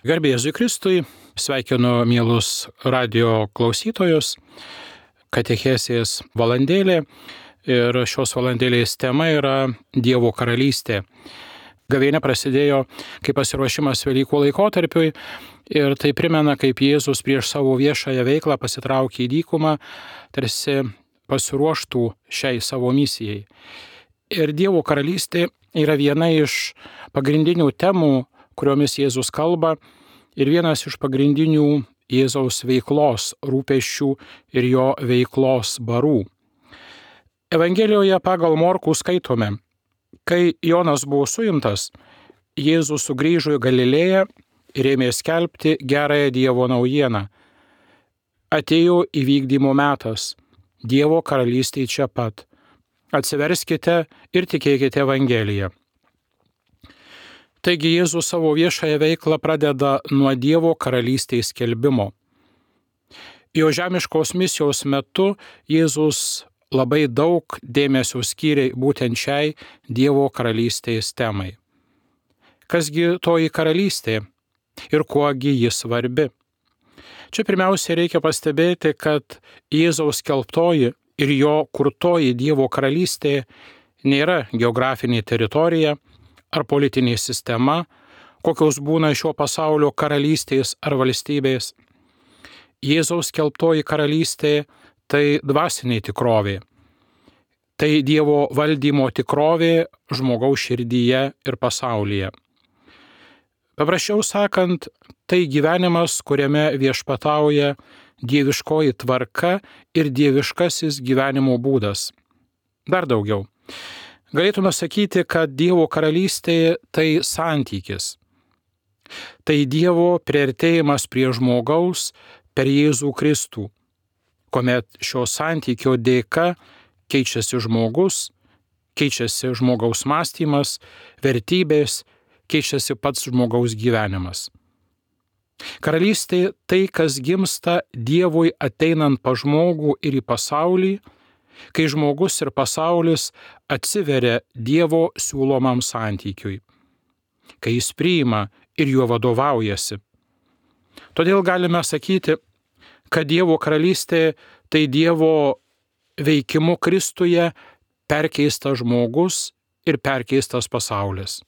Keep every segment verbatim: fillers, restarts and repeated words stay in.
Garbė Jėzui Kristui, sveikinu mielus radio klausytojus, katechezės valandėlė ir šios valandėlės tema yra Dievo karalystė. Gavėnia prasidėjo kaip pasiruošimas Velykų laikotarpiui ir tai primena, kaip Jėzus prieš savo viešąją veiklą pasitraukė į dykumą, tarsi pasiruoštų šiai savo misijai. Ir Dievo karalystė yra viena iš pagrindinių temų, kuriomis Jėzus kalba, ir vienas iš pagrindinių Jėzaus veiklos rūpesčių ir jo veiklos barų. Evangelijoje pagal Morkų skaitome, kai Jonas buvo suimtas, Jėzus sugrįžo į Galilėją ir ėmė skelbti gerąją Dievo naujieną. Atėjo įvykdymo metas, Dievo karalystė čia pat. Atsiverskite ir tikėkite Evangeliją. Taigi Jėzus savo viešąją veiklą pradeda nuo Dievo karalystės skelbimo. Jo žemiškos misijos metu Jėzus labai daug dėmesio skyrė būtent šiai Dievo karalystės temai. Kasgi toji karalystė ir kuogi ji svarbi? Čia pirmiausia reikia pastebėti, kad Jėzaus skelbtoji ir jo kurtoji Dievo karalystė nėra geografinė teritorija ar politinė sistema, kokios būna šio pasaulio karalystės ar valstybės. Jėzaus skelbtoji karalystė tai dvasinė tikrovė. Tai Dievo valdymo tikrovė žmogaus širdyje ir pasaulyje. Paprasčiau sakant, tai gyvenimas, kuriame viešpatauja dieviškoji tvarka ir dieviškasis gyvenimo būdas. Dar daugiau. Galėtume sakyti, kad Dievo karalystė tai santykis. Tai Dievo priartėjimas prie žmogaus per Jėzų Kristų, kuomet šio santykio dėka keičiasi žmogus, keičiasi žmogaus mąstymas, vertybės, keičiasi pats žmogaus gyvenimas. Karalystė tai, kas gimsta Dievui ateinant pa žmogų ir į pasaulį, kai žmogus ir pasaulis atsiveria Dievo siūlomam santykiui, kai jis priima ir juo vadovaujasi. Todėl galime sakyti, kad Dievo karalystė tai Dievo veikimu Kristuje perkeistas žmogus ir perkeistas pasaulis.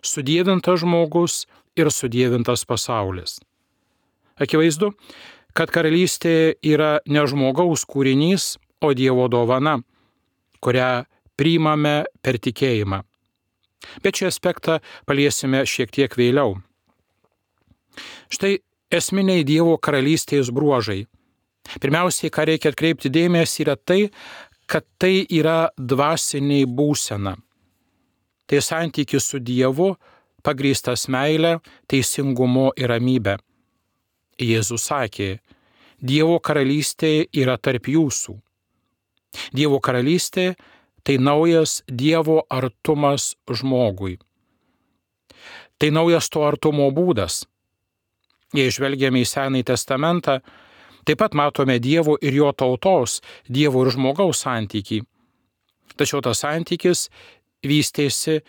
Sudievintas žmogus ir sudievintas pasaulis. Akivaizdu, kad karalystė yra ne žmogaus kūrinys, o Dievo dovana, kurią priimame per tikėjimą. Bet šį aspektą paliesime šiek tiek vėliau. Štai esminiai Dievo karalystės bruožai. Pirmiausiai, ką reikia atkreipti dėmesį, yra tai, kad tai yra dvasinė būsena. Tai santykis su Dievu, pagrįstas meile, teisingumu ir ramybe. Jėzus sakė, Dievo karalystė yra tarp jūsų. Dievo karalystė tai naujas Dievo artumas žmogui. Tai naujas to artumo būdas. Jei žvelgiame į Senąjį testamentą, taip pat matome Dievo ir jo tautos, Dievo ir žmogaus santykį. Tačiau tas santykis vystėsi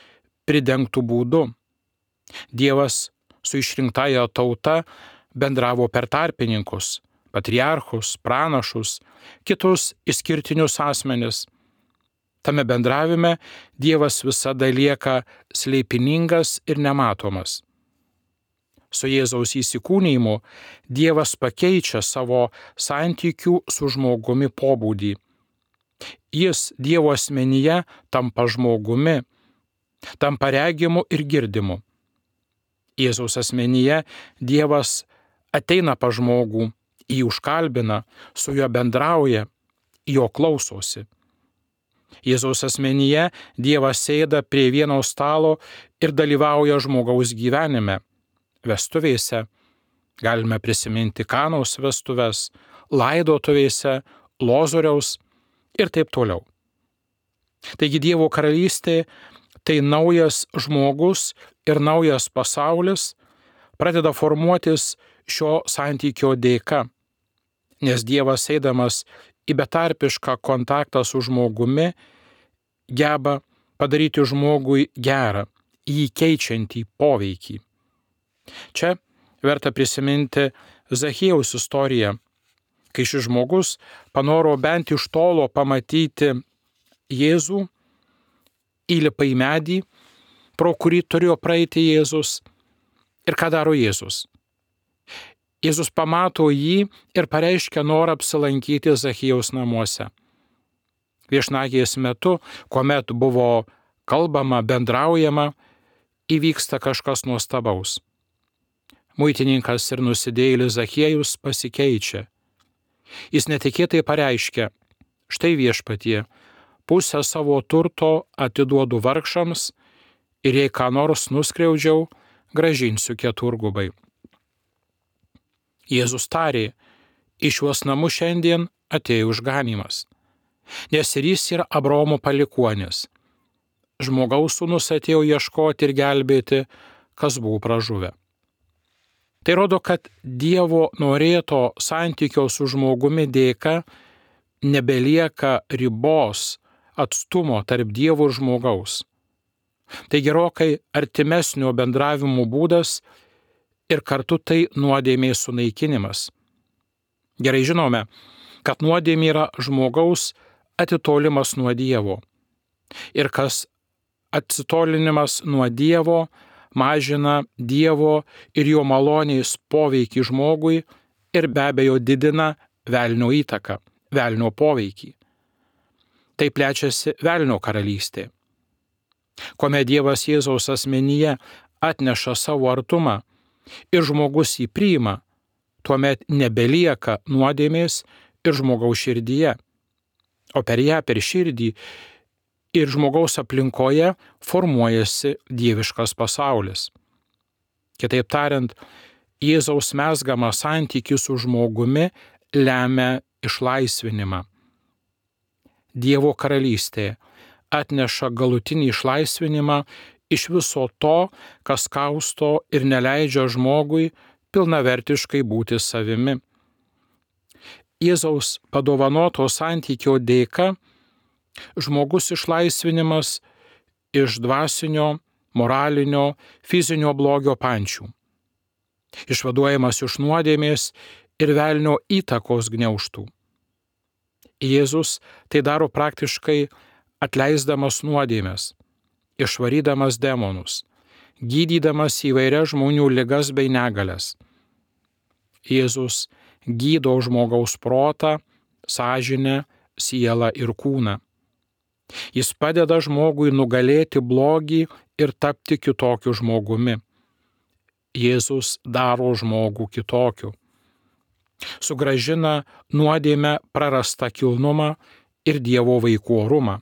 pridengtų būdu. Dievas su išrinktąja tauta bendravo per tarpininkus, patriarchus, pranašus, kitus išskirtinius asmenis. Tame bendravime Dievas visada lieka slėpiningas ir nematomas. Su Jėzaus įsikūnijimu Dievas pakeičia savo santykių su žmogumi pobūdį. Jis Dievo asmenyje tampa žmogumi, tampa regimu ir girdimu. Jėzaus asmenyje Dievas ateina pa žmogų, jį užkalbina, su juo bendrauja, jo klausosi. Jėzaus asmenyje Dievas sėda prie vieno stalo ir dalyvauja žmogaus gyvenime, vestuvėse. Galime prisiminti Kanos vestuves, laidotuvėse, Lozoriaus ir taip toliau. Taigi Dievo karalystė tai naujas žmogus ir naujas pasaulis pradeda formuotis šio santykio dėka, nes Dievas eidamas į betarpišką kontaktą su žmogumi geba padaryti žmogui gerą, jį keičiantį poveikį. Čia verta prisiminti Zachiejaus istoriją, kai šis žmogus panoro bent iš tolo pamatyti Jėzų, įlipa į medį, pro kurį turėjo praeiti Jėzus. Ir ką daro Jėzus? Jėzus pamato jį ir pareiškia norą apsilankyti Zachiejaus namuose. Viešnagės metu, kuomet buvo kalbama, bendraujama, įvyksta kažkas nuostabaus. Muitininkas ir nusidėjėlis Zachiejus pasikeičia. Jis netikėtai pareiškia: štai viešpatie, pusę savo turto atiduodu vargšams ir jei ką nors nuskriaudžiau, grąžinsiu keturgubai. Jėzus tarė: į šiuos namus šiandien atėjo išganymas, nes ir jis yra Abraomo palikuonis. Žmogaus sūnus atėjo ieškoti ir gelbėti, kas buvo pražuvę. Tai rodo, kad Dievo norėto santykio su žmogumi dėka nebelieka ribos, atstumo tarp Dievo ir žmogaus. Tai gerokai artimesnio bendravimo būdas ir kartu tai nuodėmės sunaikinimas. Gerai žinome, kad nuodėmė yra žmogaus atitolimas nuo Dievo. Ir kas atsitolinimas nuo Dievo mažina Dievo ir jo malonės poveikį žmogui ir be abejo didina velnio įtaką, velnio poveikį. Tai plečiasi velnio karalystė. Kuomet Dievas Jėzaus asmenyje atneša savo artumą ir žmogus jį priima, tuomet nebelieka nuodėmės ir žmogaus širdyje, o per ją, per širdį ir žmogaus aplinkoje formuojasi dieviškas pasaulis. Kitaip tariant, Jėzaus mezgamas santykis su žmogumi lemia išlaisvinimą. Dievo karalystė atneša galutinį išlaisvinimą iš viso to, kas kausto ir neleidžia žmogui pilnavertiškai būti savimi. Jėzaus padovanoto santykio dėka žmogus išlaisvinimas iš dvasinio, moralinio, fizinio blogio pančių. Išvaduojamas iš nuodėmės ir velnio įtakos gniaužtų. Jėzus tai daro praktiškai atleisdamas nuodėmes, išvarydamas demonus, gydydamas įvairias žmonių ligas bei negalias. Jėzus gydo žmogaus protą, sąžinę, sielą ir kūną. Jis padeda žmogui nugalėti blogį ir tapti kitokiu žmogumi. Jėzus daro žmogų kitokiu. Sugrąžina nuodėmę prarastą kilnumą ir Dievo vaikų orumą.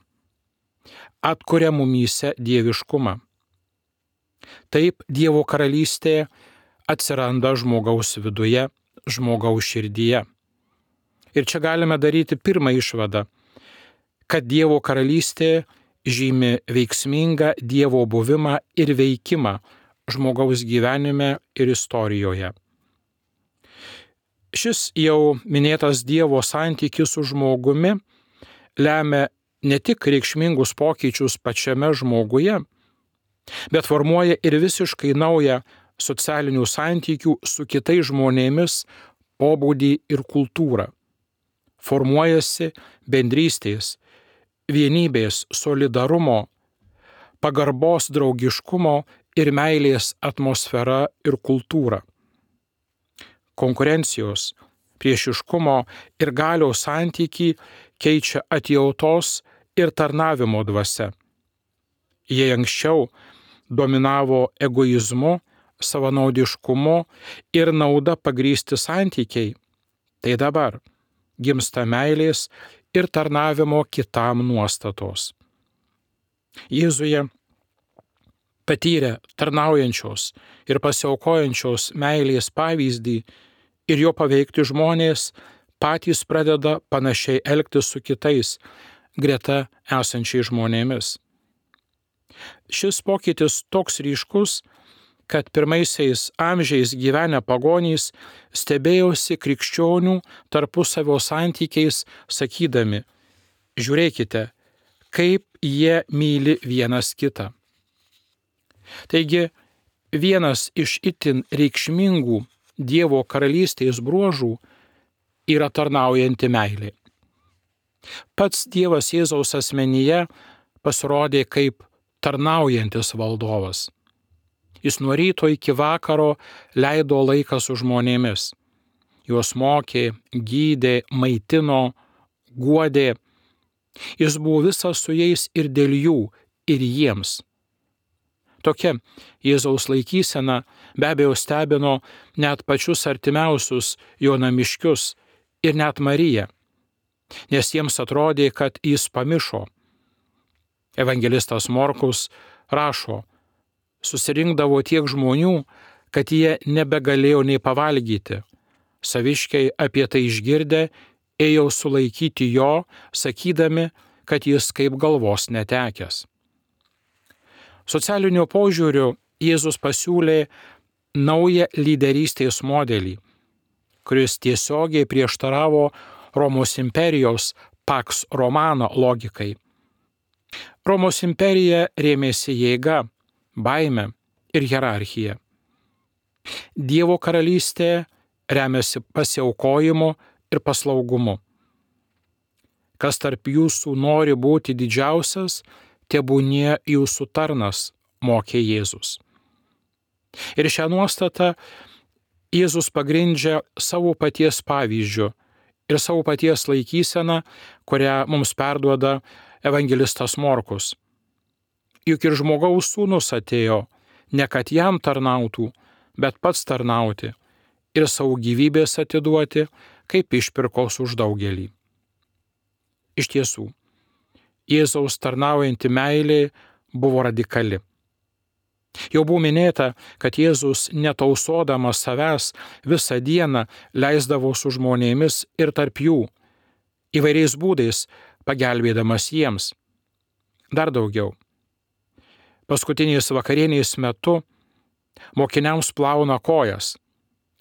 Atkuria mumyse dieviškumą. Taip Dievo karalystė atsiranda žmogaus viduje, žmogaus širdyje. Ir čia galime daryti pirmą išvadą, kad Dievo karalystė žymi veiksmingą Dievo buvimą ir veikimą žmogaus gyvenime ir istorijoje. Šis jau minėtas Dievo santykis su žmogumi lemia ne tik reikšmingus pokyčius pačiame žmoguje, bet formuoja ir visiškai naują socialinių santykių su kitais žmonėmis pobūdį ir kultūrą. Formuojasi bendrystės, vienybės, solidarumo, pagarbos, draugiškumo ir meilės atmosfera ir kultūra. Konkurencijos, priešiškumo ir galios santykį keičia atjautos ir tarnavimo dvasia. Jei anksčiau dominavo egoizmu, savanaudiškumu ir nauda pagrįsti santykiai, tai dabar gimsta meilės ir tarnavimo kitam nuostatos. Jėzuje patyrę tarnaujančios ir pasiaukojančios meilės pavyzdį ir jo paveikti žmonės patys pradeda panašiai elgtis su kitais greta esančiais žmonėmis. Šis pokytis toks ryškus, kad pirmaisiais amžiais gyvenę pagonys stebėjosi krikščionių tarpusavio santykiais, sakydami: žiūrėkite, kaip jie myli vienas kitą. Taigi, vienas iš itin reikšmingų Dievo karalystės bruožų yra tarnaujanti meilė. Pats Dievas Jėzaus asmenyje pasirodė kaip tarnaujantis valdovas. Jis nuo ryto iki vakaro leido laiką su žmonėmis. Juos mokė, gydė, maitino, guodė. Jis buvo visas su jais ir dėl jų, ir jiems. Tokia Jėzaus laikysena be abejo stebino net pačius artimiausius jo namiškius ir net Mariją, nes jiems atrodė, kad jis pamišo. Evangelistas Morkus rašo, susirinkdavo tiek žmonių, kad jie nebegalėjo nei pavalgyti. Saviškiai apie tai išgirdę ėjo sulaikyti jo, sakydami, kad jis kaip galvos netekęs. Socialiniu požiūriu Jėzus pasiūlė naują lyderystės modelį, kuris tiesiogiai prieštaravo Romos imperijos Pax Romana logikai. Romos imperija rėmėsi jėga, baime ir hierarchija. Dievo karalystė remiasi pasiaukojimu ir paslaugumu. Kas tarp jūsų nori būti didžiausias, tebūnie jūsų tarnas, mokė Jėzus. Ir šią nuostatą Jėzus pagrindžia savo paties pavyzdžiu ir savo paties laikyseną, kurią mums perduoda evangelistas Morkus. Juk ir žmogaus sūnus atėjo, ne kad jam tarnautų, bet pats tarnauti ir savo gyvybės atiduoti, kaip išpirkos už daugelį. Iš tiesų, Jėzaus tarnaujanti meilė buvo radikali. Jau buvo minėta, kad Jėzus netausodamas savęs visą dieną leisdavo su žmonėmis ir tarp jų, įvairiais būdais pagelbėdamas jiems. Dar daugiau. Paskutinės vakarienės metu mokiniams plauna kojas,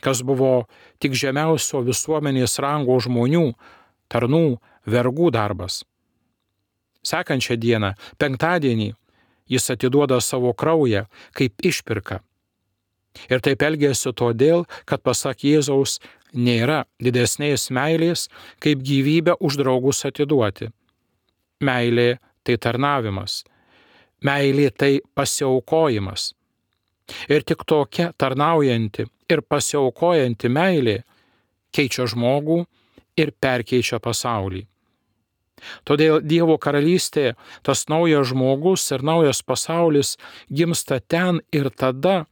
kas buvo tik žemiausio visuomenės rango žmonių, tarnų, vergų darbas. Sekančią dieną, penktadienį, jis atiduoda savo kraują kaip išpirką. Ir taip elgėsi todėl, kad pasak Jėzaus nėra didesnės meilės, kaip gyvybę už draugus atiduoti. Meilė tai tarnavimas. Meilė tai pasiaukojimas. Ir tik tokia tarnaujanti ir pasiaukojanti meilė keičia žmogų ir perkeičia pasaulį. Todėl Dievo karalystė, tas naujas žmogus ir naujas pasaulis gimsta ten ir tada,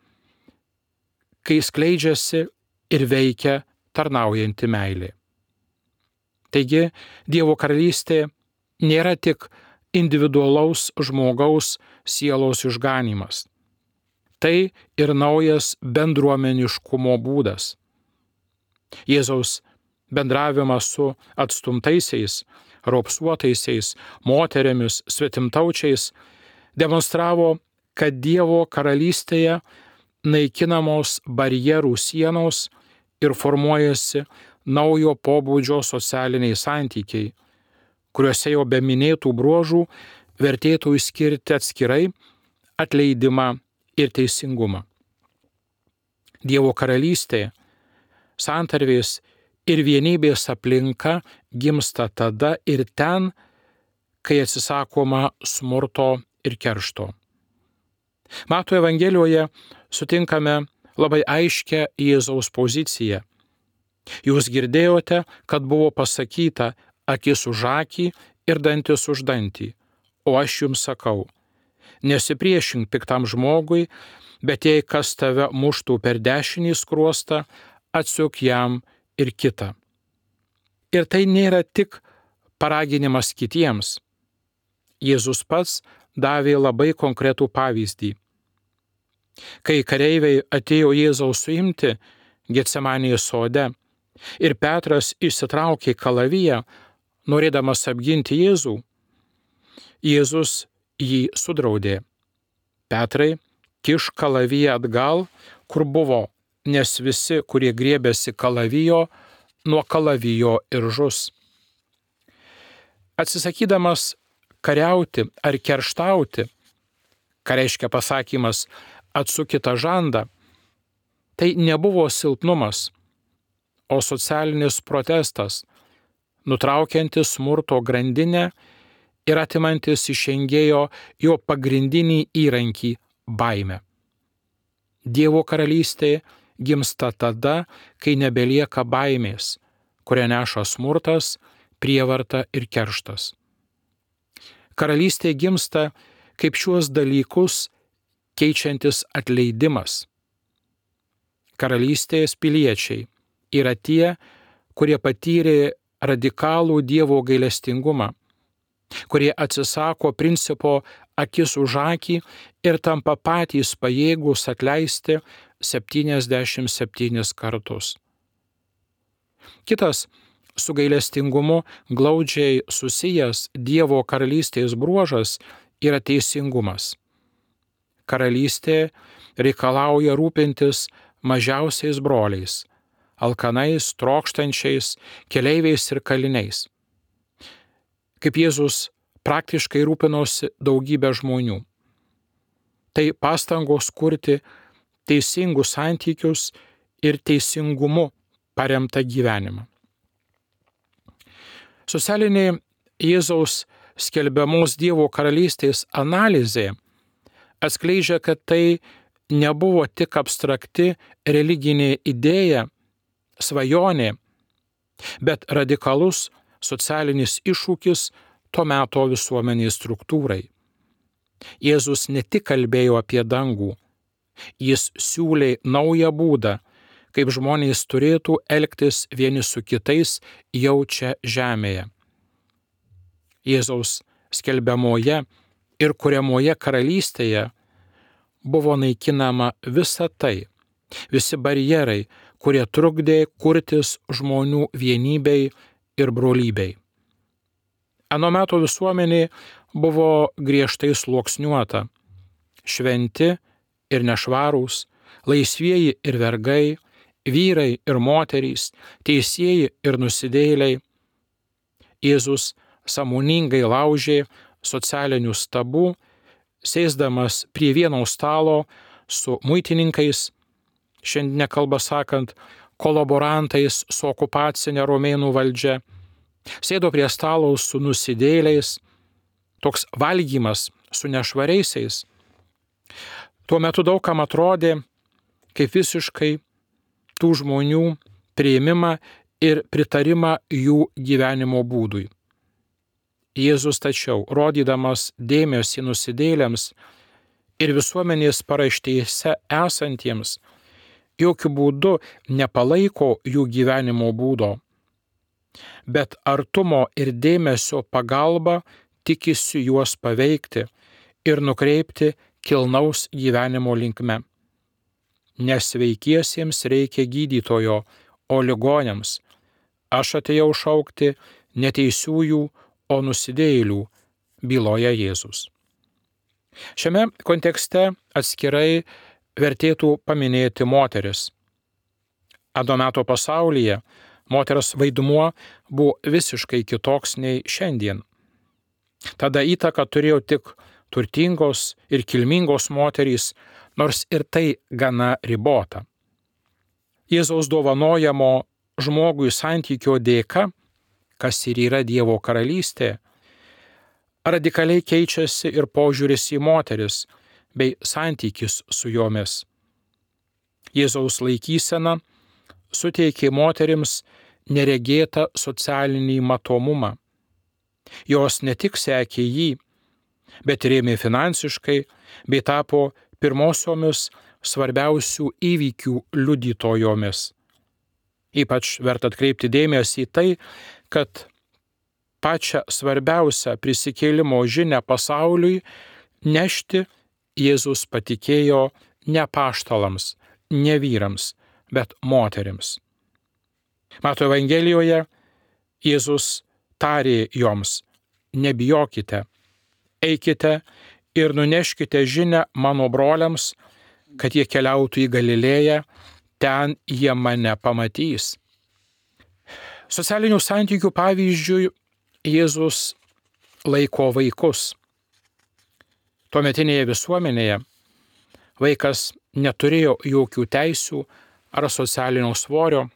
kai skleidžiasi ir veikia tarnaujanti meilė. Taigi, Dievo karalystė nėra tik individualaus žmogaus sielos išganymas. Tai ir naujas bendruomeniškumo būdas. Jėzaus bendravimas su atstumtaisiais, raupsuotaisiais, moterimis, svetimtaučiais demonstravo, kad Dievo karalystėje naikinamos barjerų sienos ir formuojasi naujo pobūdžio socialiniai santykiai, kuriuose jau be minėtų bruožų vertėtų išskirti atskirai atleidimą ir teisingumą. Dievo karalystė, santarvės ir vienybės aplinka gimsta tada ir ten, kai atsisakoma smurto ir keršto. Mato Evangelijoje sutinkame labai aiškią Jėzaus poziciją. Jūs girdėjote, kad buvo pasakyta akis už akį ir dantis už dantį, o aš jums sakau, nesipriešink piktam žmogui, bet jei kas tave muštų per dešinį skruostą, atsiuk jam ir kitą. Ir tai nėra tik paraginimas kitiems. Jėzus pats davė labai konkretų pavyzdį. Kai kareiviai atėjo Jėzaus suimti Getsemanės sode ir Petras išsitraukė kalaviją, norėdamas apginti Jėzų, Jėzus jį sudraudė. Petrai, kiš kalaviją atgal, kur buvo, nes visi, kurie griebėsi kalavijo, nuo kalavijo ir žus. Atsisakydamas kariauti ar kerštauti, ką reiškia pasakymas atsukitą žandą, tai nebuvo silpnumas, o socialinis protestas, nutraukiantis smurto grandinę ir atimantis iš engėjo jo pagrindinį įrankį – baimę. Dievo karalystė gimsta tada, kai nebelieka baimės, kurią neša smurtas, prievarta ir kerštas. Karalystė gimsta kaip šiuos dalykus keičiantis atleidimas. Karalystės piliečiai yra tie, kurie patyrė radikalų Dievo gailestingumą, kurie atsisako principo akis už akį ir tampa patys pajėgūs atleisti septyniasdešimt septynis kartus. Kitas su gailestingumu glaudžiai susijęs Dievo karalystės bruožas yra teisingumas. Karalystė reikalauja rūpintis mažiausiais broliais, alkanais, trokštančiais, keleiviais ir kaliniais. Kaip Jėzus praktiškai rūpinosi daugybę žmonių. Tai pastangos kurti teisingus santykius ir teisingumu paremtą gyvenimą. Socialinė Jėzaus skelbiamos Dievo karalystės analizė atskleidžia, kad tai nebuvo tik abstrakti religinė idėja, svajonė, bet radikalus socialinis iššūkis to meto visuomenės struktūrai. Jėzus ne tik kalbėjo apie dangų, jis siūlė naują būdą, kaip žmonės turėtų elgtis vieni su kitais jau čia žemėje. Jėzaus skelbiamoje ir kuriamoje karalystėje buvo naikinama visa tai, visi barjerai, kurie trukdė kurtis žmonių vienybei ir brolybei. Ano meto visuomenė buvo griežtai sluoksniuota, šventi ir nešvarūs, laisvieji ir vergai, vyrai ir moterys, teisieji ir nusidėjėliai. Jėzus sąmoningai laužė socialinius tabų, sėsdamas prie vieno stalo su muitininkais, šiandien kalba sakant, kolaborantais su okupacinė romėnų valdžia, sėdo prie stalo su nusidėjėliais, toks valgymas su nešvariaisiais. Tuo metu daugam atrodė kaip visiškai tų žmonių priėmimą ir pritarimą jų gyvenimo būdui. Jėzus tačiau, rodydamas dėmesį nusidėjėliams ir visuomenės paraštėse esantiems, jokių būdų nepalaiko jų gyvenimo būdo, bet artumo ir dėmesio pagalba tikisi juos paveikti ir nukreipti kilnaus gyvenimo linkme. Nesveikiesiems reikia gydytojo, o ligoniams aš atėjau šaukti neteisiųjų, o nusidėjėlių, byloja Jėzus. Šiame kontekste atskirai vertėtų paminėti moteris. Ano meto pasaulyje moters vaidmuo buvo visiškai kitoks nei šiandien. Tada įtaką turėjo tik turtingos ir kilmingos moterys, nors ir tai gana ribota. Jėzaus dovanojamo žmogui santykio dėka, kas ir yra Dievo karalystė, radikaliai keičiasi ir požiūris į moteris bei santykis su jomis. Jėzaus laikysena suteikė moterims neregėtą socialinį matomumą. Jos ne tik sekė jį, bet rėmė finansiškai bei tapo pirmosiomis svarbiausių įvykių liudytojomis. Ypač verta atkreipti dėmesį į tai, kad pačią svarbiausią prisikėlimo žinią pasauliui nešti Jėzus patikėjo ne apaštalams, ne vyrams, bet moterims. Mato Evangelijoje Jėzus tarė joms: nebijokite, eikite ir nuneškite žinią mano broliams, kad jie keliautų į Galilėją, ten jie mane pamatys. Socialinių santykių pavyzdžiui Jėzus laiko vaikus. Tuometinėje visuomenėje vaikas neturėjo jokių teisių ar socialinio svorio.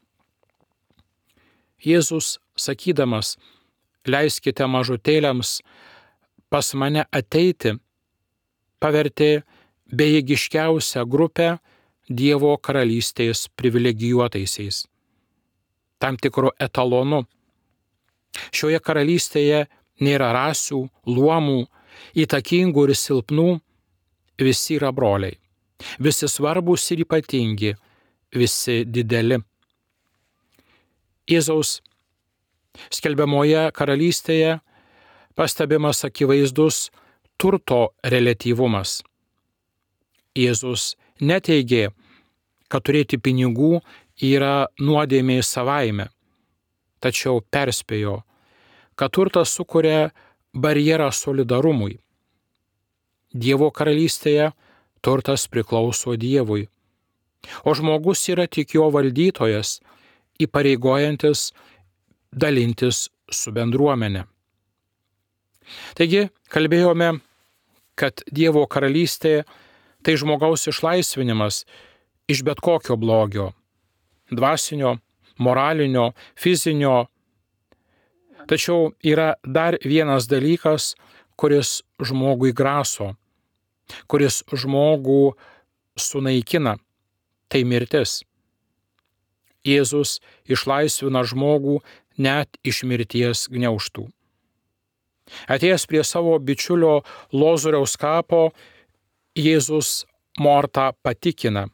Jėzus, sakydamas, leiskite mažutėliams pas mane ateiti, pavertė bejėgiškiausią grupę Dievo karalystės privilegijuotaisiais, tam tikru etalonu. Šioje karalystėje nėra rasių, luomų, įtakingų ir silpnų, visi yra broliai, visi svarbus ir ypatingi, visi dideli. Jėzaus skelbiamoje karalystėje pastebimas akivaizdus turto reliatyvumas. Jėzus neteigė, kad turėti pinigų yra nuodėmė savaime, tačiau perspėjo, kad turtas sukuria barjerą solidarumui. Dievo karalystėje turtas priklauso Dievui, o žmogus yra tik jo valdytojas, įpareigojantis dalintis su bendruomene. Taigi, kalbėjome, kad Dievo karalystė tai žmogaus išlaisvinimas iš bet kokio blogio, dvasinio, moralinio, fizinio. Tačiau yra dar vienas dalykas, kuris žmogui graso, kuris žmogų sunaikina, tai mirtis. Jėzus išlaisvina žmogų net iš mirties gniaužtų. Atėjęs prie savo bičiulio Lozoriaus kapo, Jėzus Mortą patikina: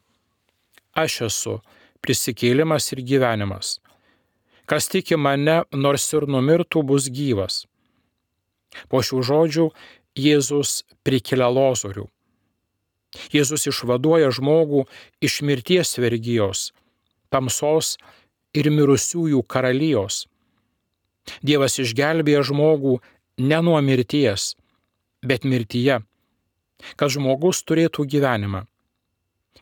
aš esu prisikėlimas ir gyvenimas. Kas tiki mane, nors ir numirtų, bus gyvas. Po šių žodžių Jėzus prikelia Lozorių. Jėzus išvaduoja žmogų iš mirties vergijos, tamsos ir mirusiųjų karalijos. Dievas išgelbėja žmogų ne nuo mirties, bet mirtyje, kad žmogus turėtų gyvenimą.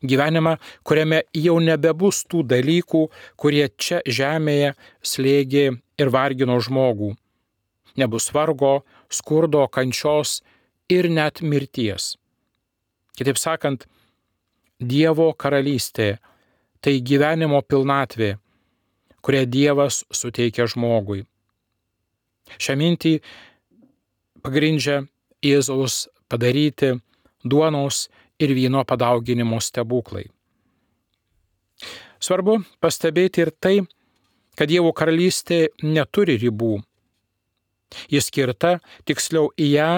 Gyvenimą, kuriame jau nebebus tų dalykų, kurie čia žemėje slėgė ir vargino žmogų. Nebus vargo, skurdo, kančios ir net mirties. Kitaip sakant, Dievo karalystė tai gyvenimo pilnatvė, kurią Dievas suteikia žmogui. Šią mintį pagrindžia Jėzaus padaryti duonos ir vyno padauginimo stebuklai. Svarbu pastebėti ir tai, kad Dievo karalystė neturi ribų. Ji skirta, tiksliau į ją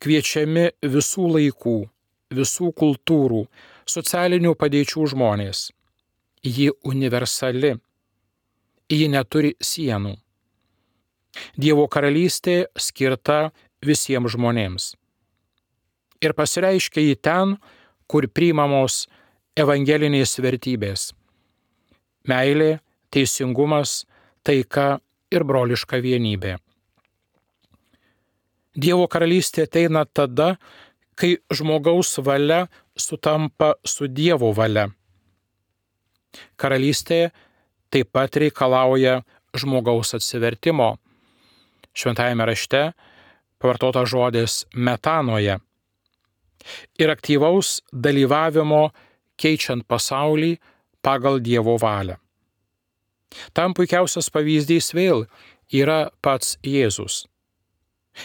kviečiami visų laikų, visų kultūrų, socialinių padėčių žmonės. Ji universali. Ji neturi sienų. Dievo karalystė skirta visiems žmonėms. Ir pasireiškia į ten, kur priimamos evangelinės vertybės – meilė, teisingumas, taika ir broliška vienybė. Dievo karalystė ateina tada, kai žmogaus valia sutampa su Dievo valia. Karalystė taip pat reikalauja žmogaus atsivertimo. Šventajame rašte pavartota žodis metanoje ir aktyvaus dalyvavimo keičiant pasaulį pagal Dievo valią. Tam puikiausias pavyzdys vėl yra pats Jėzus.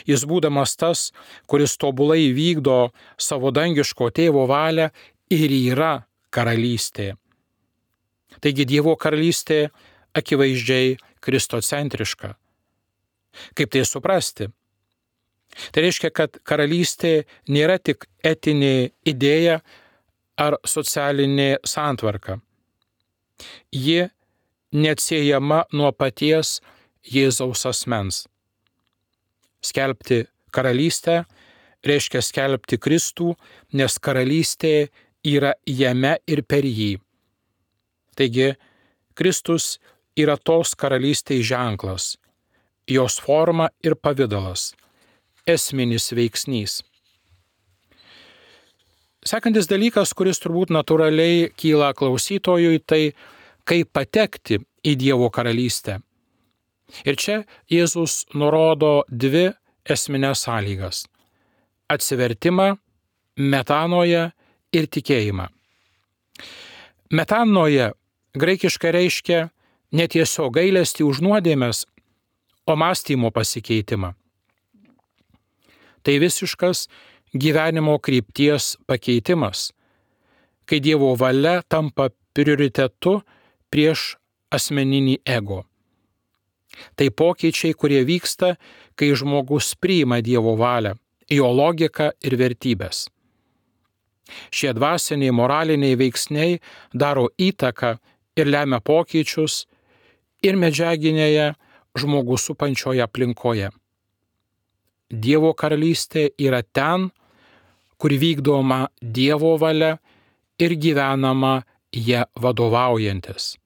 Jis būdamas tas, kuris tobulai vykdo savo dangiško tėvo valią, ir yra karalystė. Taigi Dievo karalystė akivaizdžiai kristocentriška. Kaip tai suprasti? Tai reiškia, kad karalystė nėra tik etinė idėja ar socialinė santvarka. Ji neatsiejama nuo paties Jėzaus asmens. Skelbti karalystę reiškia skelbti Kristų, nes karalystė yra jame ir per jį. Taigi, Kristus yra tos karalystės ženklas, jos forma ir pavidalas, esminis veiksnys. Sekantis dalykas, kuris turbūt natūraliai kyla klausytojui, tai kaip patekti į Dievo karalystę. Ir čia Jėzus nurodo dvi esminės sąlygas – atsivertimą metanoje ir tikėjimą. Metanoje graikiškai reiškia ne tiesiog gailestį už nuodėmes, o mąstymo pasikeitimą. Tai visiškas gyvenimo krypties pakeitimas, kai Dievo valia tampa prioritetu prieš asmeninį ego. Tai pokyčiai, kurie vyksta, kai žmogus priima Dievo valią, jo logiką ir vertybės. Šie dvasiniai, moraliniai veiksniai daro įtaką ir lemia pokyčius ir medžiaginėje žmogų supančioje aplinkoje. Dievo karalystė yra ten, kur vykdoma Dievo valia ir gyvenama ją vadovaujantis.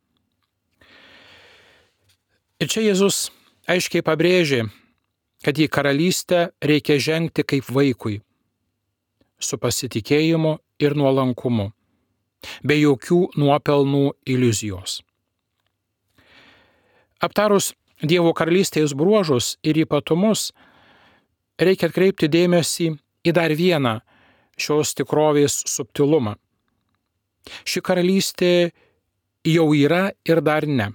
Ir čia Jėzus aiškiai pabrėžė, kad į karalystę reikia žengti kaip vaikui, su pasitikėjimu ir nuolankumu, be jokių nuopelnų iliuzijos. Aptarus Dievo karalystės bruožus ir ypatumus, reikia atkreipti dėmesį į dar vieną šios tikrovės subtilumą. Ši karalystė jau yra ir dar ne.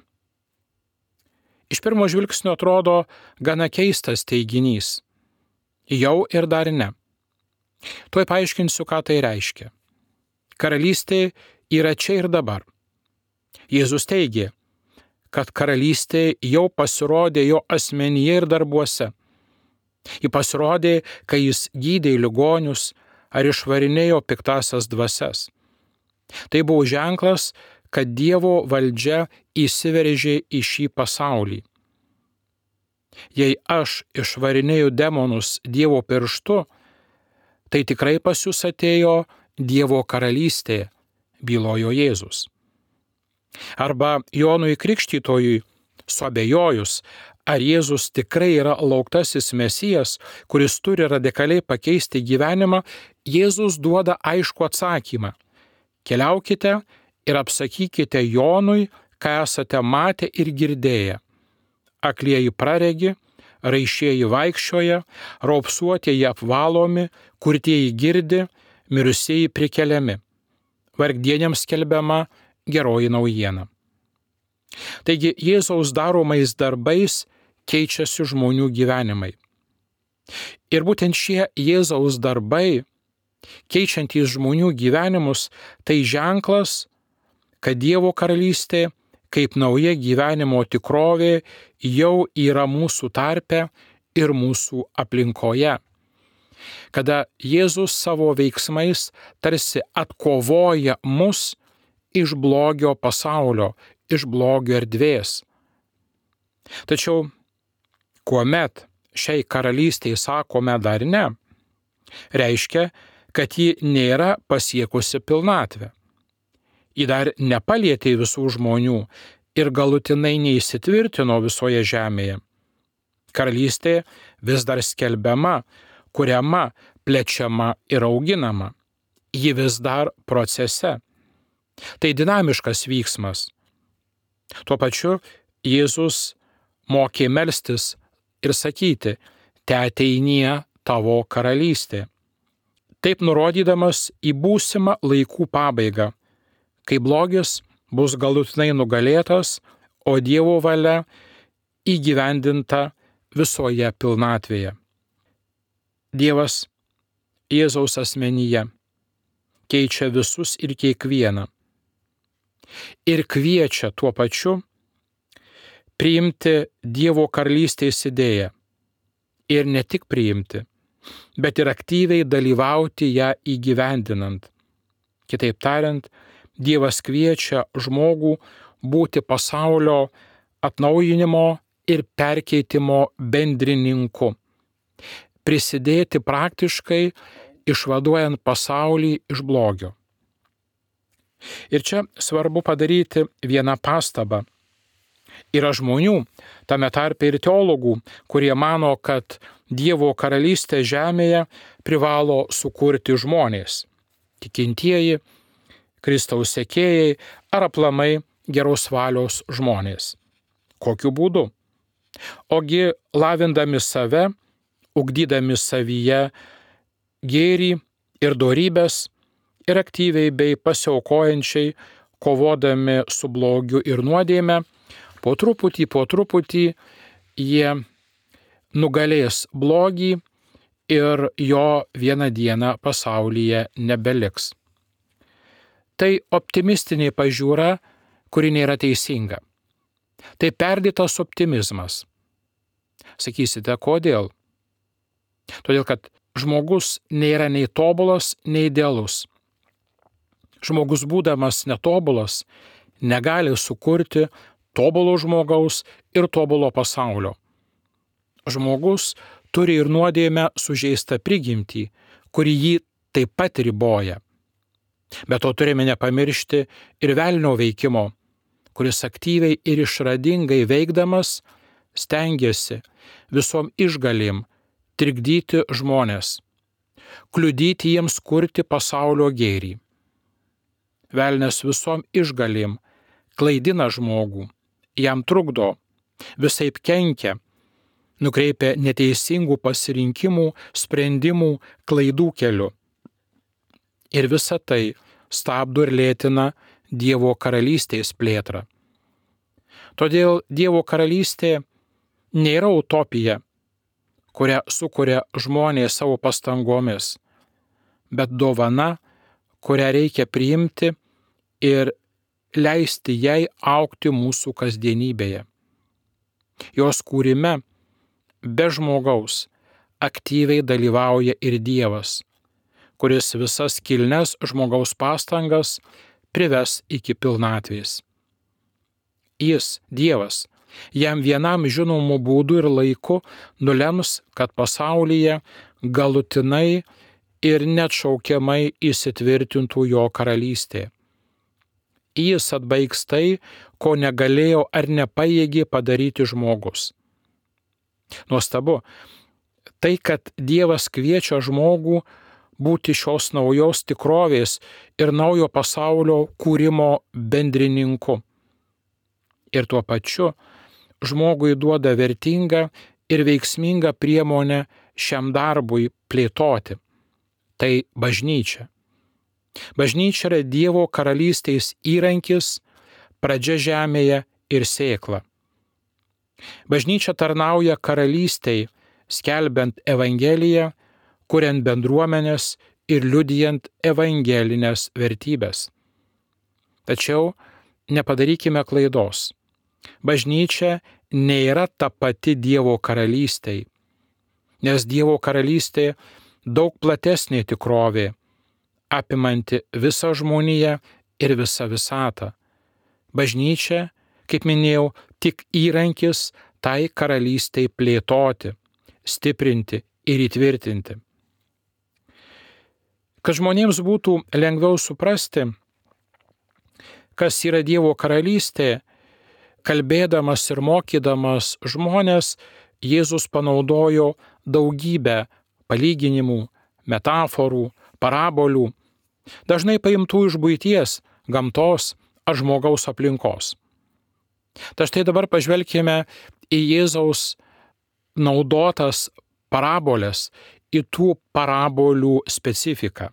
Iš pirmo žvilgsnio atrodo gana keistas teiginys. Jau ir dar ne. Tuoj paaiškinsiu, ką tai reiškia. Karalystė yra čia ir dabar. Jėzus teigė, kad karalystė jau pasirodė jo asmenyje ir darbuose. Ji pasirodė, kai jis gydė ligonius ar išvarinėjo piktasias dvasias. Tai buvo ženklas, kad Dievo valdžia įsiveržė į šį pasaulį. Jei aš išvarinėju demonus Dievo pirštu, tai tikrai pas jūs atėjo Dievo karalystė, bylojo Jėzus. Arba Jonui Krikštytojui suabejojus, ar Jėzus tikrai yra lauktasis Mesijas, kuris turi radikaliai pakeisti gyvenimą, Jėzus duoda aiškų atsakymą. Keliaukite ir apsakykite Jonui, ką esate matę ir girdėję. Aklieji praregi, raišieji vaikščioja, raupsuotieji apvalomi, kurtieji girdi, mirusieji prikeliami. Vargdieniams skelbiama geroji naujiena. Taigi Jėzaus daromais darbais keičiasi žmonių gyvenimai. Ir būtent šie Jėzaus darbai, keičiantys žmonių gyvenimus, tai ženklas, kad Dievo karalystė kaip nauja gyvenimo tikrovė jau yra mūsų tarpe ir mūsų aplinkoje. Kada Jėzus savo veiksmais tarsi atkovoja mus iš blogio pasaulio, iš blogio erdvės. Tačiau, kuomet šiai karalystei sakome dar ne, reiškia, kad ji nėra pasiekusi pilnatvę. Ji dar nepalietė visų žmonių ir galutinai neįsitvirtino visoje žemėje. Karalystė vis dar skelbiama, kuriama, plečiama ir auginama. Ji vis dar procese. Tai dinamiškas vyksmas. Tuo pačiu Jėzus mokė melstis ir sakyti, teateinie tavo karalystė. Taip nurodydamas į būsimą laikų pabaigą, kai blogis bus galutinai nugalėtas, o Dievo valia įgyvendinta visoje pilnatvėje. Dievas Jėzaus asmenyje keičia visus ir kiekvieną. Ir kviečia tuo pačiu priimti Dievo karalystės idėją. Ir ne tik priimti, bet ir aktyviai dalyvauti ją įgyvendinant. Kitaip tariant, Dievas kviečia žmogų būti pasaulio atnaujinimo ir perkeitimo bendrininku, prisidėti praktiškai išvaduojant pasaulį iš blogio. Ir čia svarbu padaryti vieną pastabą. Yra žmonių, tame tarpe ir teologų, kurie mano, kad Dievo karalystę žemėje privalo sukurti žmonės, tikintieji, Kristaus sekėjai ar aplamai geros valios žmonės. Kokiu būdu? Ogi lavindami save, ugdydami savyje gėrį ir dorybės ir aktyviai bei pasiaukojančiai, kovodami su blogiu ir nuodėme, po truputį, po truputį jie nugalės blogį ir jo vieną dieną pasaulyje nebeliks. Tai optimistinė pažiūra, kuri nėra teisinga. Tai perdėtas optimizmas. Sakysite, kodėl? Todėl, kad žmogus nėra nei tobulas, nei idealus. Žmogus būdamas netobulas negali sukurti tobulo žmogaus ir tobulo pasaulio. Žmogus turi ir nuodėmę sužeistą prigimtį, kuri jį taip pat riboja. Bet to turime nepamiršti ir velnio veikimo, kuris aktyviai ir išradingai veikdamas stengiasi visom išgalim trikdyti žmonės, kliudyti jiems kurti pasaulio gėrį. Velnias visom išgalim klaidina žmogų, jam trukdo, visaip kenkia, nukreipia neteisingų pasirinkimų, sprendimų, klaidų keliu. Ir visa tai stabdo ir lėtina Dievo karalystės plėtrą. Todėl Dievo karalystė nėra utopija, kurią sukuria žmonės savo pastangomis, bet dovana, kurią reikia priimti ir leisti jai augti mūsų kasdienybėje. Jos kūrime be žmogaus aktyviai dalyvauja ir Dievas, kuris visas kilnes žmogaus pastangas prives iki pilnatvės. Jis, Dievas, jam vienam žinomu būdu ir laiku nulems, kad pasaulyje galutinai ir neatšaukiamai įsitvirtintų jo karalystė. Jis atbaigs tai, ko negalėjo ar nepajėgė padaryti žmogus. Nuostabu, tai, kad Dievas kviečia žmogų būti šios naujos tikrovės ir naujo pasaulio kūrimo bendrininku. Ir tuo pačiu žmogui duoda vertingą ir veiksmingą priemonę šiam darbui plėtoti. Tai bažnyčia. Bažnyčia yra Dievo karalystės įrankis, pradžia žemėje ir sėkla. Bažnyčia tarnauja karalystei, skelbiant Evangeliją, kuriant bendruomenės ir liudijant evangelinės vertybės. Tačiau nepadarykime klaidos. Bažnyčia nėra ta pati Dievo karalystei, nes Dievo karalystė daug platesnė tikrovė, apimanti visą žmoniją ir visą visatą. Bažnyčia, kaip minėjau, tik įrankis tai karalystei plėtoti, stiprinti ir įtvirtinti. Kad žmonėms būtų lengviau suprasti, kas yra Dievo karalystė, kalbėdamas ir mokydamas žmonės, Jėzus panaudojo daugybę palyginimų, metaforų, parabolių, dažnai paimtų iš buities, gamtos ar žmogaus aplinkos. Tad štai dabar pažvelkime į Jėzaus naudotas parabolės, į tų parabolių specifiką.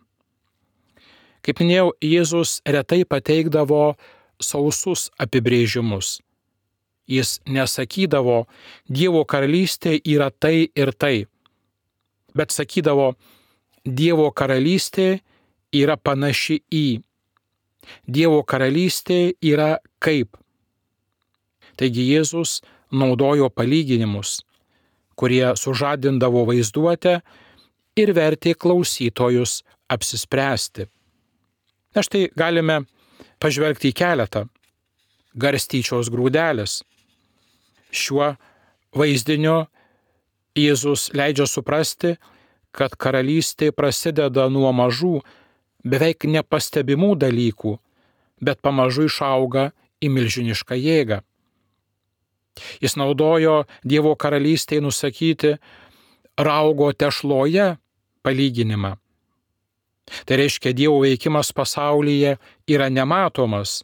Kaip minėjau, Jėzus retai pateikdavo sausus apibrėžimus. Jis nesakydavo, Dievo karalystė yra tai ir tai, bet sakydavo, Dievo karalystė yra panaši į. Dievo karalystė yra kaip. Taigi Jėzus naudojo palyginimus, kurie sužadindavo vaizduotę ir vertė klausytojus apsispręsti. Na štai galime pažvelgti į keletą. Garstyčios grūdelis. Šiuo vaizdiniu Jėzus leidžia suprasti, kad karalystė prasideda nuo mažų, beveik nepastebimų dalykų, bet pamažu išauga į milžinišką jėgą. Jis naudojo Dievo karalystėje nusakyti raugo tešloje palyginimą. Tai reiškia, Dievo veikimas pasaulyje yra nematomas,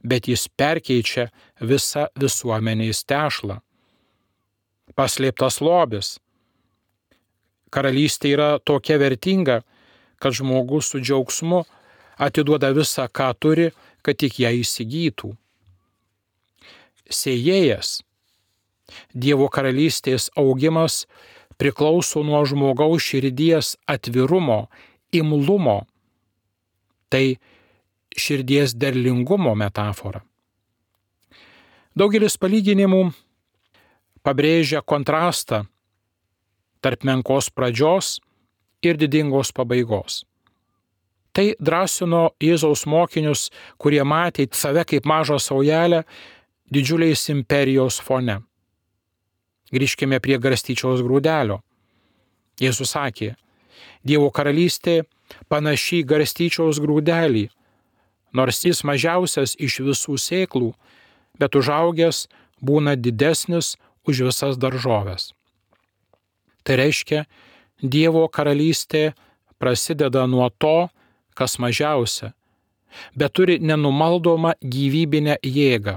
bet jis perkeičia visą visuomenės tešlą. Paslėptas lobis. Karalystė yra tokia vertinga, kad žmogus su džiaugsmu atiduoda visą, ką turi, kad tik ją įsigytų. Sėjėjas. Dievo karalystės augimas priklauso nuo žmogaus širdies atvirumo, imlumo. Tai širdies derlingumo metafora. Daugelis palyginimų pabrėžia kontrastą tarp menkos pradžios ir didingos pabaigos. Tai drąsino Jėzaus mokinius, kurie matė save kaip mažą saujelę didžiuliais imperijos fone. Grįžkime prie garstyčiaus grūdelio. Jėzus sakė, Dievo karalystė panaši į garstyčiaus grūdelį, nors jis mažiausias iš visų sėklų, bet užaugęs būna didesnis už visas daržoves. Tai reiškia, Dievo karalystė prasideda nuo to, kas mažiausia, bet turi nenumaldomą gyvybinę jėgą.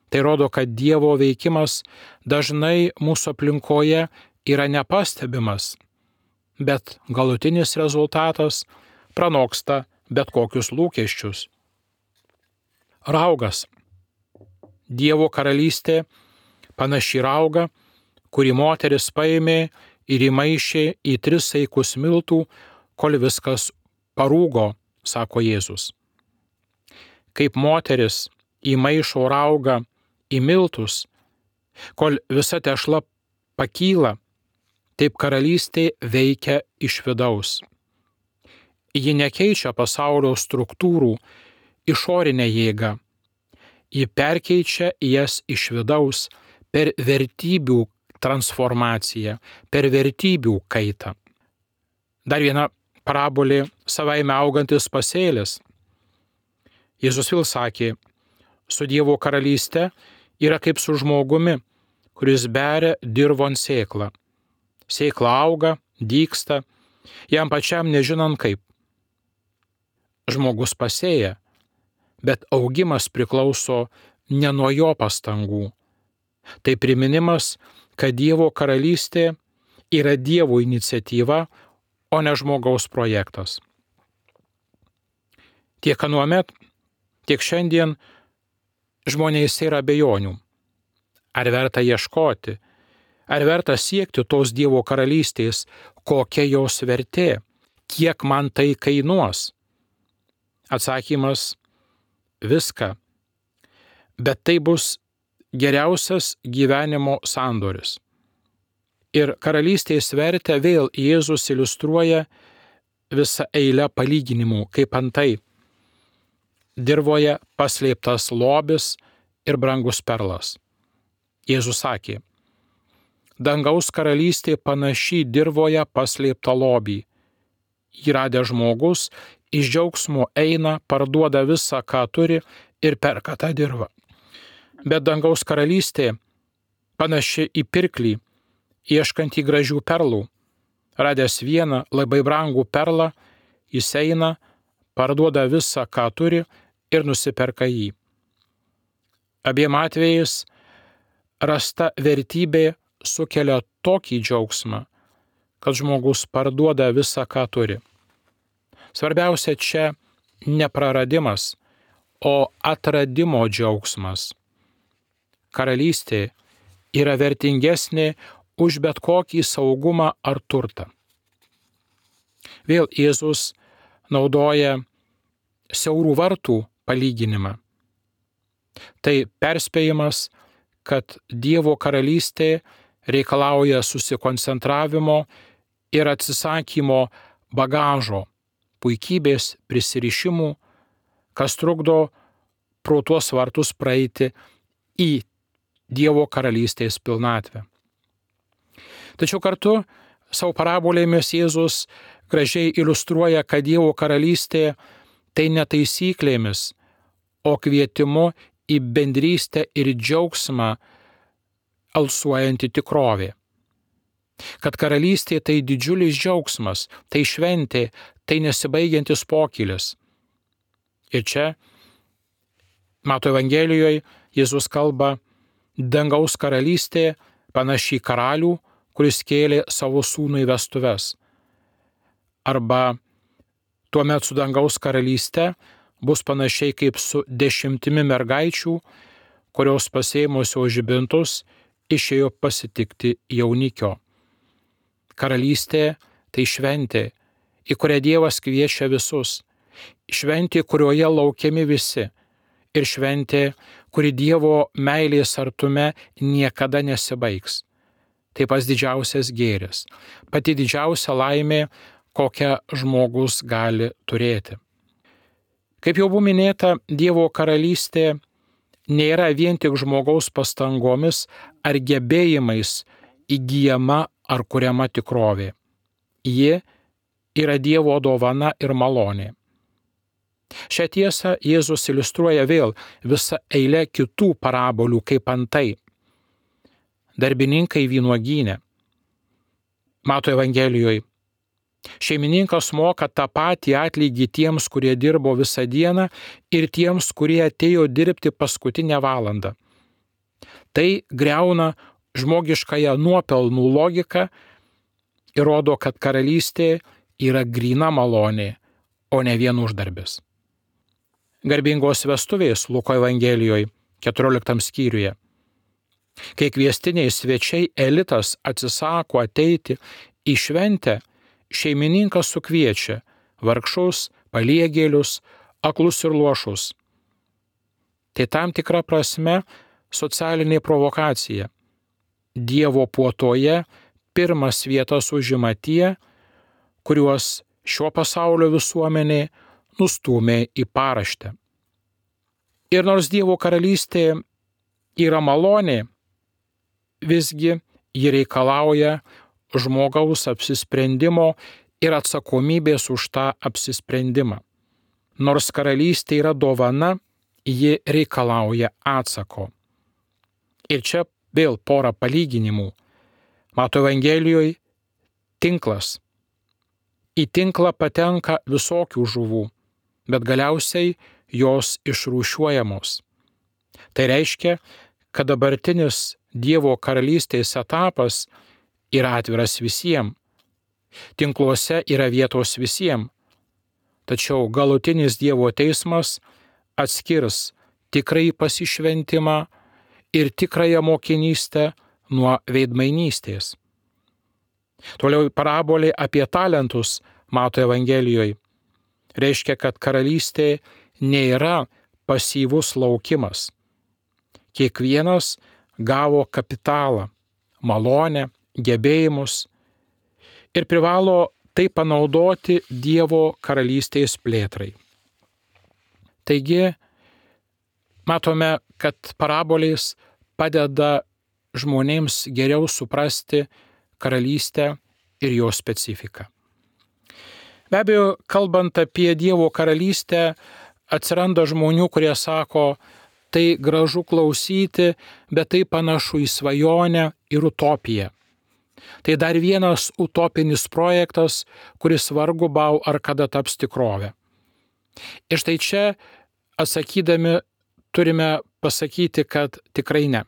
Tai rodo, kad Dievo veikimas dažnai mūsų aplinkoje yra nepastebimas, bet galutinis rezultatas pranoksta bet kokius lūkesčius. Raugas. Dievo karalystė panaši rauga, kurį moteris paėmė ir įmaišė į tris saikus miltų, kol viskas parūgo, sako Jėzus. Kaip moteris įmaišo raugą į miltus, kol visa tešla pakyla, taip karalystė veikia iš vidaus. Ji nekeičia pasaulio struktūrų išorinę jėgą. Ji perkeičia jas iš vidaus per vertybių transformaciją, per vertybių kaitą. Dar viena parabolė savaime augantis pasėlis. Jėzus vėl sakė, su Dievo karalystė yra kaip su žmogumi, kuris beria dirvon sėklą. Sėkla auga, dygsta, jam pačiam nežinant kaip. Žmogus pasėja, bet augimas priklauso ne nuo jo pastangų. Tai priminimas, kad Dievo karalystė yra Dievo iniciatyva, o ne žmogaus projektas. Tiek anuomet, tiek šiandien žmonėse yra abejonių. Ar verta ieškoti, ar verta siekti tos Dievo karalystės, kokia jos vertė, kiek man tai kainuos? Atsakymas – viską. Bet tai bus geriausias gyvenimo sandoris. Ir karalystės vertę vėl Jėzus iliustruoja visą eilę palyginimų, kaip antai dirvoje paslėptas lobis ir brangus perlas. Jėzus sakė, dangaus karalystė panaši dirvoje paslėptą lobį. Jį radęs žmogus iš džiaugsmo eina, parduoda visą, ką turi ir perka tą dirvą. Bet dangaus karalystė panaši į pirklį, ieškantį gražių perlų. Radęs vieną labai brangų perlą, jis eina, parduoda visą, ką turi ir nusiperka jį. Abiem atvejais rasta vertybė sukelia tokį džiaugsmą, kad žmogus parduoda visą, ką turi. Svarbiausia čia ne praradimas, o atradimo džiaugsmas. Karalystė yra vertingesnė už bet kokį saugumą ar turtą. Vėl Jėzus naudoja siaurų vartų palyginimą. Tai perspėjimas, kad Dievo karalystė reikalauja susikoncentravimo ir atsisakymo bagažo, puikybės, prisirišimų, kas trukdo pro tuos vartus praeiti į Dievo karalystės pilnatvę. Tačiau kartu savo parabolėmis Jėzus gražiai iliustruoja, kad Dievo karalystė tai ne taisyklėmis, o kvietimu į bendrystę ir džiaugsmą alsuojanti tikrovė. Kad karalystė tai didžiulis džiaugsmas, tai šventė, tai nesibaigiantis pokylis. Ir čia, Mato Evangelijoje, Jėzus kalba, dangaus karalystė panaši į karalių, kuris kėlė savo sūnų į vestuves. Arba Tuomet su dangaus karalyste bus panašiai kaip su dešimtimi mergaičių, kurios pasėmusios žibintus išėjo pasitikti jaunikio. Karalystė tai šventė, į kurią Dievas kviečia visus, šventė, kurioje laukiami visi, ir šventė, kuri Dievo meilės artume niekada nesibaigs. Tai pats didžiausias gėris, pati didžiausia laimė, kokią žmogus gali turėti. Kaip jau buvo minėta, Dievo karalystė nėra vien tik žmogaus pastangomis ar gebėjimais įgyjama ar kuriama tikrovė. Ji yra Dievo dovana ir malonė. Šią tiesą Jėzus iliustruoja vėl visą eilę kitų parabolių, kaip antai darbininkai vynuogyne. Mato Evangelijoje. Šeimininkas moka tą patį atlygį tiems, kurie dirbo visą dieną, ir tiems, kurie atėjo dirbti paskutinę valandą. Tai griauna žmogiškąją nuopelnų logiką ir rodo, kad karalystė yra gryna malonė, o ne vien uždarbis. Garbingos vestuvės Luko Evangelijoje, keturioliktam skyriuje. Kai kviestiniai svečiai elitas atsisako ateiti į šventę, šeimininkas sukviečia vargšus, paliegėlius, aklus ir luošus. Tai tam tikra prasme socialinė provokacija. Dievo puotoje pirmas vietas užima tie, kuriuos šio pasaulio visuomenė nustūmė į paraštę. Ir nors Dievo karalystė yra malonė, visgi ji reikalauja žmogaus apsisprendimo ir atsakomybės už tą apsisprendimą. Nors karalystė yra dovana, ji reikalauja atsako. Ir čia vėl pora palyginimų. Mato Evangelijoje tinklas. Į tinklą patenka visokių žuvų, bet galiausiai jos išrūšiuojamos. Tai reiškia, kad dabartinis Dievo karalystės etapas yra atviras visiems. Tinkluose yra vietos visiems. Tačiau galutinis Dievo teismas atskirs tikrai pasišventimą ir tikrąją mokinystę nuo veidmainystės. Toliau parabolė apie talentus Mato Evangelijoje reiškia, kad karalystė nėra pasyvus laukimas. Kiekvienas gavo kapitalą, malonę, gebėjimus ir privalo tai panaudoti Dievo karalystės plėtrai. Taigi, matome, kad parabolės padeda žmonėms geriau suprasti karalystę ir jos specifiką. Be abejo, kalbant apie Dievo karalystę, atsiranda žmonių, kurie sako, tai gražu klausyti, bet tai panašu į svajonę ir utopiją. Tai dar vienas utopinis projektas, kuris vargu bau ar kada taps tikrove. Ir štai čia, atsakydami, turime pasakyti, kad tikrai ne.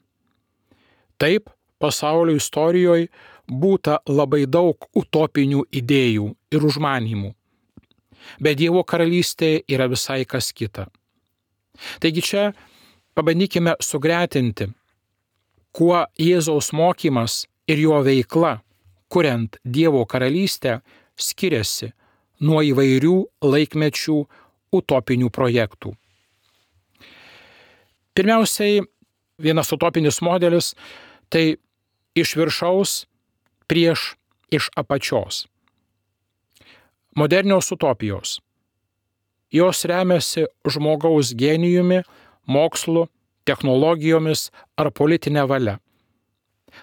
Taip, pasaulio istorijoje būta labai daug utopinių idėjų ir užmanymų. Bet Dievo karalystė yra visai kas kita. Taigi čia pabandykime sugretinti, kuo Jėzaus mokymas ir jo veikla, kuriant Dievo karalystę, skiriasi nuo įvairių laikmečių utopinių projektų. Pirmiausiai, vienas utopinis modelis – tai iš viršaus prieš iš apačios. Modernios utopijos. Jos remiasi žmogaus genijumi, mokslu, technologijomis ar politinė valia.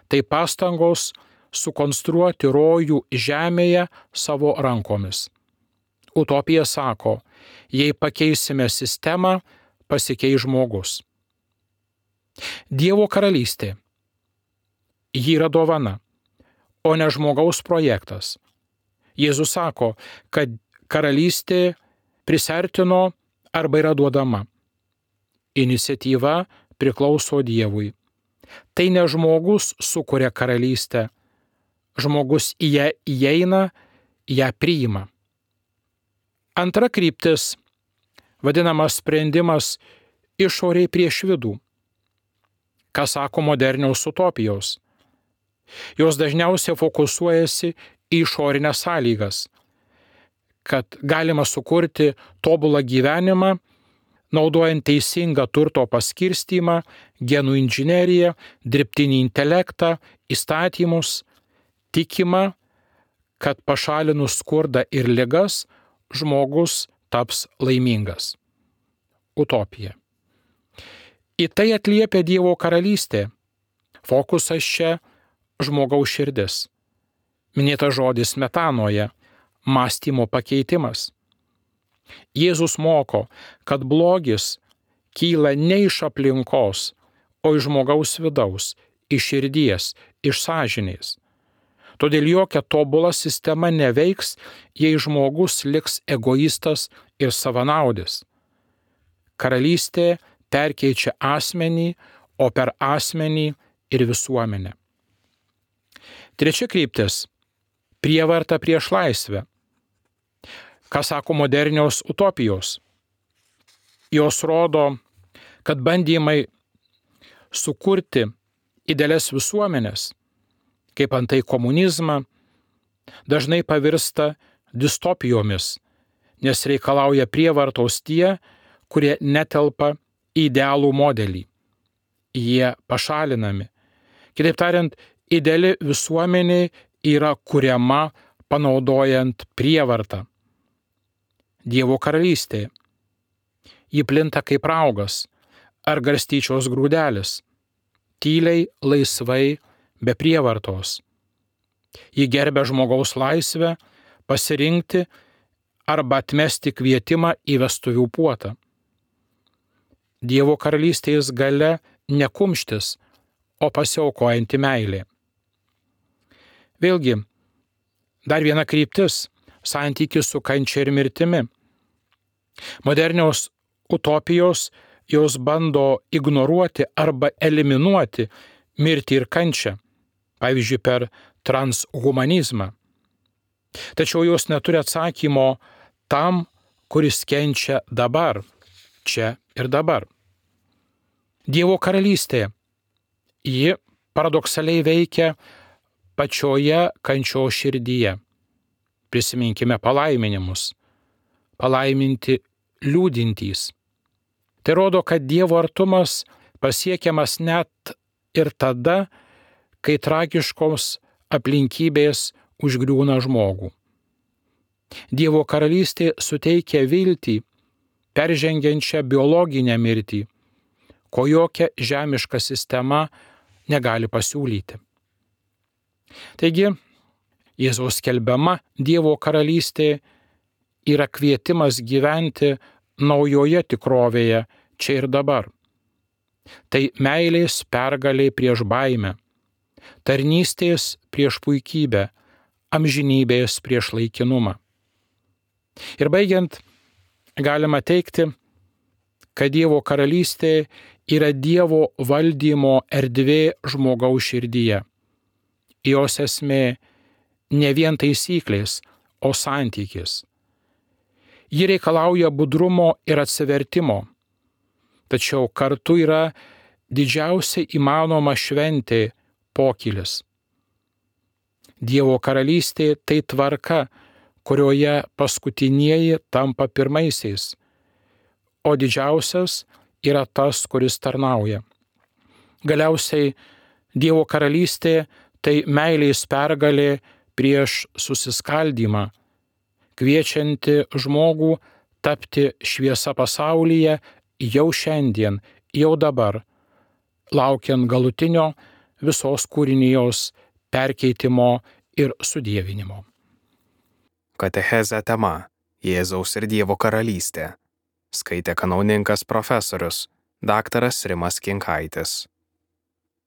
Tai pastangos sukonstruoti rojų žemėje savo rankomis. Utopija sako, jei pakeisime sistemą, pasikeis žmogus. Dievo karalystė. Ji yra dovana, o ne žmogaus projektas. Jėzus sako, kad karalystė prisertino arba yra duodama. Iniciatyva priklauso Dievui. Tai ne žmogus sukuria karalystę, žmogus į ją įeina, ją priima. Antra kryptis – vadinamas sprendimas išoriai prieš vidų. Ką sako modernios utopijos? Jos dažniausiai fokusuojasi į išorinės sąlygas, kad galima sukurti tobulą gyvenimą, naudojant teisingą turto paskirstymą, genų inžineriją, dirbtinį intelektą, įstatymus, tikima, kad pašalinus skurdą ir ligas, žmogus taps laimingas. Utopija. Į tai atliepia Dievo karalystė. Fokusas čia žmogaus širdis. Minėtas žodis metanoje – mąstymo pakeitimas. Jėzus moko, kad blogis kyla ne iš aplinkos, o iš žmogaus vidaus, iš širdies, iš sąžinės. Todėl jokia tobula sistema neveiks, jei žmogus liks egoistas ir savanaudis. Karalystė perkeičia asmenį, o per asmenį ir visuomenę. Trečia kryptis – prievarta prieš laisvę. Ką sako modernios utopijos? Jos rodo, kad bandymai sukurti idealias visuomenės, kaip antai komunizmą, dažnai pavirsta distopijomis, nes reikalauja prievartos tie, kurie netelpa į idealų modelį. Jie pašalinami. Kitaip tariant, ideali visuomenė yra kuriama panaudojant prievartą. Dievo karalystė. Ji plinta kaip raugas ar garstyčios grūdelis, tyliai, laisvai, be prievartos. Ji gerbia žmogaus laisvę pasirinkti arba atmesti kvietimą į vestuvių puotą. Dievo karalystės galia ne kumštis, o pasiaukojanti meilė. Vėlgi, dar viena kryptis – santykis su kančia ir mirtimi. Modernios utopijos jos bando ignoruoti arba eliminuoti mirtį ir kančią, pavyzdžiui, per transhumanizmą. Tačiau jos neturi atsakymo tam, kuris kenčia dabar, čia ir dabar. Dievo karalystė. Ji paradoksaliai veikia pačioje kančios širdyje. Prisiminkime palaiminimus. Palaiminti liūdintys. Tai rodo, kad Dievo artumas pasiekiamas net ir tada, kai tragiškos aplinkybės užgriūna žmogų. Dievo karalystė suteikia viltį, peržengiančią biologinę mirtį, ko jokia žemiška sistema negali pasiūlyti. Taigi, Jėzaus skelbiama Dievo karalystė yra kvietimas gyventi naujoje tikrovėje čia ir dabar. Tai meilės pergalė prieš baimę, tarnystės prieš puikybę, amžinybės prieš laikinumą. Ir baigiant, galima teigti, kad Dievo karalystė yra Dievo valdymo erdvė žmogaus širdyje. Jos esmė ne vien taisyklės, o santykis. Ji reikalauja budrumo ir atsivertimo, tačiau kartu yra didžiausia įmanoma šventė pokylis. Dievo karalystė tai tvarka, kurioje paskutinieji tampa pirmaisiais, o didžiausias yra tas, kuris tarnauja. Galiausiai Dievo karalystė tai meilės pergalė prieš susiskaldymą, kviečianti žmogų tapti šviesa pasaulyje jau šiandien, jau dabar, laukiant galutinio visos kūrinijos perkeitimo ir sudievinimo. Katechezė tema – Jėzaus ir Dievo karalystė. Skaitė kanauninkas profesorius, daktaras Rimas Kinkaitis.